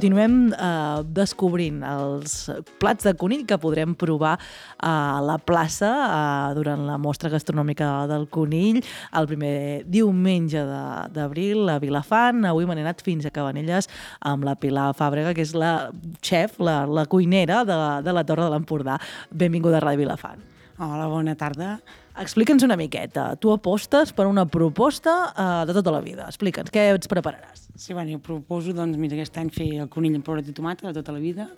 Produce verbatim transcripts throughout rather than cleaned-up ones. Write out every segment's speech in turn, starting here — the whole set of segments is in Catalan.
continuem eh, descobrint els plats de conill que podrem provar a la plaça eh, durant la mostra gastronòmica del conill el primer diumenge de- d'abril a Vilafant. Avui me n'he anat fins a Cabanelles amb la Pilar Fàbrega, que és la xef, la, la cuinera de, de la Torre de l'Empordà. Benvinguda a Ràdio Vilafant. Hola, bona tarda. Explica'ns una miqueta. Tu apostes per una proposta eh, de tota la vida. Explica'ns, què ens prepararàs? Sí, bueno, jo proposo, doncs, mira, aquest any fer el conill amb pebrot i tomata de tota la vida,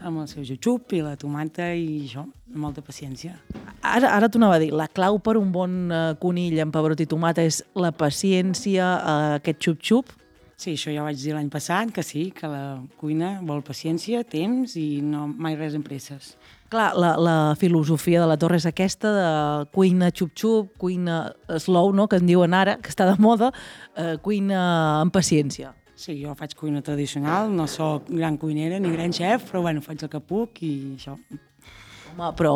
amb el seu jutxup i la tomata i això, amb molta paciència. Ara, ara t'ho anava a dir, la clau per un bon eh, conill amb pebrot i tomata és la paciència, eh, aquest xup-xup. Sí, això ja ho vaig dir l'any passat, que sí, que la cuina vol paciència, temps i no mai res amb presses. Clar, la, la filosofia de la Torre és aquesta de cuina xup-xup, cuina slow, no?, que en diuen ara, que està de moda, eh, cuina amb paciència. Sí, jo faig cuina tradicional, no sóc gran cuinera ni gran xef, però bueno, faig el que puc i això. Home, però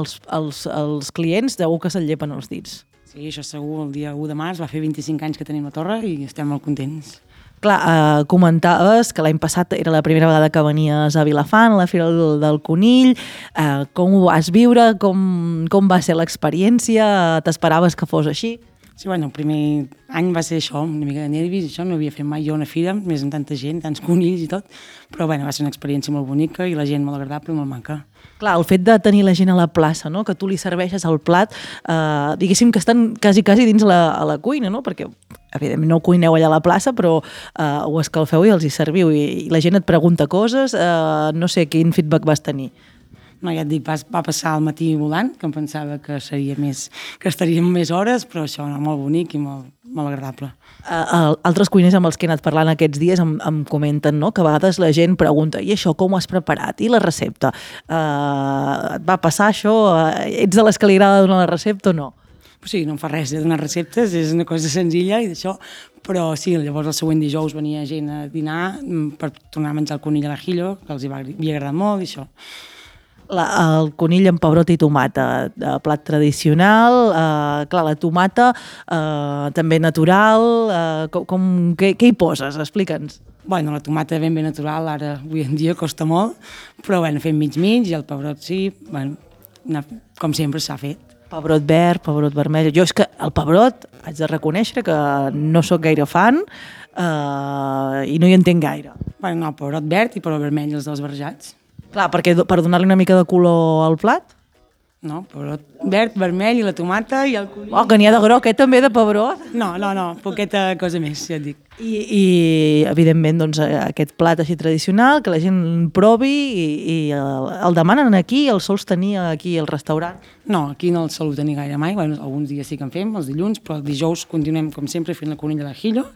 els, els, els clients segur que se'l llepen els dits. Sí, això segur, el dia u de març va fer vint-i-cinc anys que tenim la torre i estem molt contents. Clar, eh, comentaves que l'any passat era la primera vegada que venies a Vilafant, a la Fira del, del Conill. Eh, com ho vas viure? Com, com va ser l'experiència? T'esperaves que fos així? Sí, bueno, el primer any va ser això, una mica de nervis, això, no havia fet mai jo una fira, més amb tanta gent, tants conills i tot, però bueno, va ser una experiència molt bonica i la gent molt agradable i molt maca. Clar, el fet de tenir la gent a la plaça, no?, que tu li serveixes el plat, eh, diguéssim que estan quasi, quasi dins la, a la cuina, no?, perquè evidentment no cuineu allà a la plaça, però eh, ho escalfeu i els hi serviu, i, i la gent et pregunta coses, eh, no sé quin feedback vas tenir. No, ja et dic, va, va passar el matí volant, que em pensava que seria més, que estaríem més hores, però això era molt bonic i molt, molt agradable. Uh, altres cuiners amb els que he anat parlant aquests dies em, em comenten, no?, que a vegades la gent pregunta i això com ho has preparat? I la recepta? Uh, et va passar això? Uh, ets de les que li agrada donar la recepta o no? O sigui, no em fa res de donar receptes, és una cosa senzilla i d'això, però sí, llavors el següent dijous venia gent a dinar per tornar a menjar el conill a l'ajillo, que els hi va, havia agradat molt i això. La, el conill amb pebrot i tomata, eh, plat tradicional, eh, clar, la tomata eh, també natural, eh, com, com, què, què hi poses? Explica'ns. Bueno, la tomata ben ben natural, ara avui en dia costa molt, però bueno, fem mig-mig i el pebrot sí, bueno, com sempre s'ha fet. Pebrot verd, pebrot vermell. Jo és que el pebrot haig de reconèixer que no sóc gaire fan eh, i no hi entenc gaire. Bueno, no, pebrot verd i pebrot vermell, els dos barrejats. Clar, perquè per donar-li una mica de color al plat? No, pebrot verd, vermell i la tomata i el conill. Oh, que n'hi ha de groc, eh, també, de pebrot. No, no, no, poqueta cosa més, ja et dic. I, i evidentment, doncs, aquest plat així tradicional, que la gent provi i, i el, el demanen aquí, el sols tenir aquí al restaurant. No, aquí no el solo tenir gaire mai, bueno, alguns dies sí que en fem, els dilluns, però el dijous continuem, com sempre, fent la conill a l'ajillo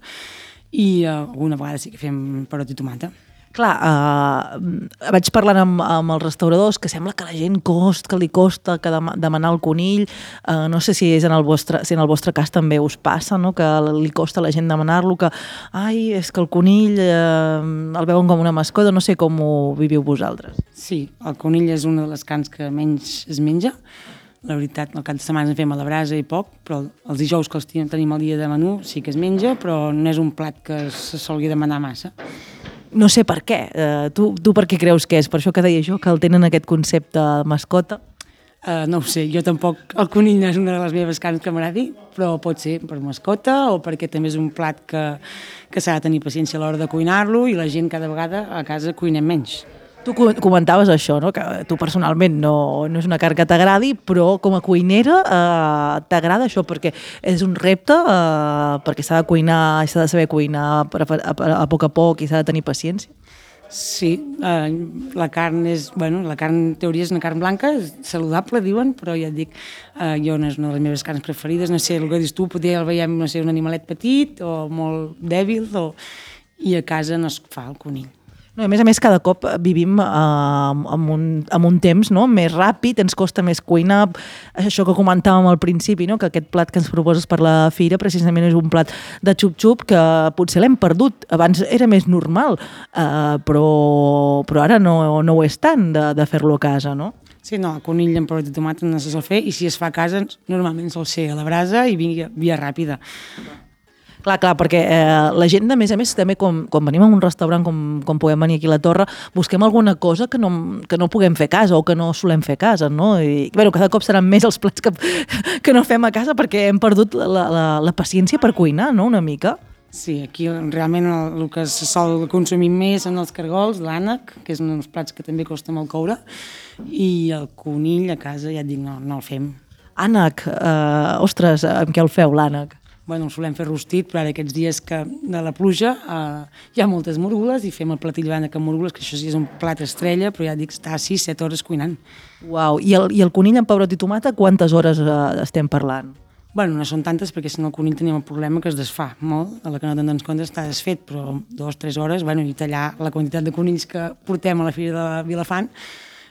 i uh, alguna vegada sí que fem pebrot i tomata. Clar, eh, vaig parlant amb, amb els restauradors que sembla que la gent cost, que li costa que dem demanar el conill. Eh, no sé si és en el vostre, si en el vostre cas també us passa, no?, que li costa a la gent demanar-lo, que ai, és que el conill eh, el veuen com una mascota, no sé com ho viviu vosaltres. Sí, el conill és una de les carns que menys es menja. La veritat, al cap de setmana en fem a la brasa i poc, però els dijous que els tenim el dia de menú sí que es menja, però no és un plat que se solgui demanar massa. No sé per què. Uh, tu, tu per què creus que és? Per això que deia jo, que el tenen aquest concepte de mascota? Uh, no ho sé, jo tampoc, el conill no és una de les meves carns que m'agradi, però pot ser per mascota o perquè també és un plat que, que s'ha de tenir paciència a l'hora de cuinar-lo i la gent cada vegada a casa cuinem menys. Tu comentaves això, no?, que tu personalment no, no és una carn que t'agradi, però com a cuinera eh, t'agrada això perquè és un repte, eh, perquè s'ha de cuinar, s'ha de saber cuinar a, a, a poc a poc i s'ha de tenir paciència. Sí, eh, la carn és, bueno, la carn en teoria és una carn blanca, és saludable, diuen, però ja et dic, eh, jo no és una de les meves carns preferides, no sé, el que dius tu, potser el veiem, no sé, un animalet petit o molt dèbil, o... i a casa no es fa el conill. No, a més a més, cada cop vivim eh, amb, un, amb un temps, no?, més ràpid, ens costa més cuinar. Això que comentàvem al principi, no?, que aquest plat que ens proposes per la fira precisament és un plat de xup-xup que potser l'hem perdut. Abans era més normal, eh, però, però ara no, no ho és tant de, de fer-lo a casa, no? Sí, no, el conill amb pebrot i tomata no se sol fer i si es fa a casa normalment sol ser a la brasa i via, via ràpida. Clar, clar, perquè eh, la gent, de més a més, també com, quan venim a un restaurant, com, com podem venir aquí a la Torre, busquem alguna cosa que no, que no puguem fer a casa o que no solem fer a casa, no? I, bueno, cada cop seran més els plats que, que no fem a casa perquè hem perdut la, la, la paciència per cuinar, no?, una mica. Sí, aquí realment el, el que se sol consumir més són els cargols, l'ànec, que és un dels plats que també costa molt coure, i el conill a casa, ja et dic, no, no el fem. Ànec, eh, ostres, amb què el feu, l'ànec? Bueno, el solem fer rostit, però ara aquests dies que de la pluja eh, hi ha moltes morgules i fem el platillo d'ànec amb morgules, que això sí és un plat estrella, però ja dic, està sis set hores cuinant. Uau, i el, i el conill amb pebrot i tomata, quantes hores eh, estem parlant? Bueno, no són tantes perquè si no el conill tenim el problema que es desfà molt, a la que no te'n dones compte està desfet, però dues o tres hores, bueno, i tallar la quantitat de conills que portem a la Fira de Vilafant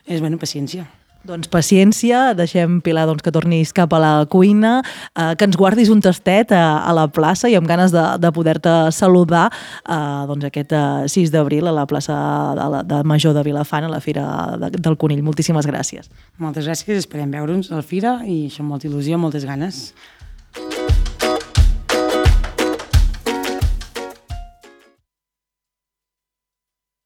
és, bueno, paciència. Doncs paciència, deixem, Pilar, doncs, que tornis cap a la cuina, eh, que ens guardis un tastet a, a la plaça i amb ganes de, de poder-te saludar eh, doncs aquest eh, sis d'abril a la plaça de, la, de Major de Vilafant, a la Fira de, del Conill. Moltíssimes gràcies. Moltes gràcies, esperem veure'ns a la Fira i això amb molta il·lusió, moltes ganes.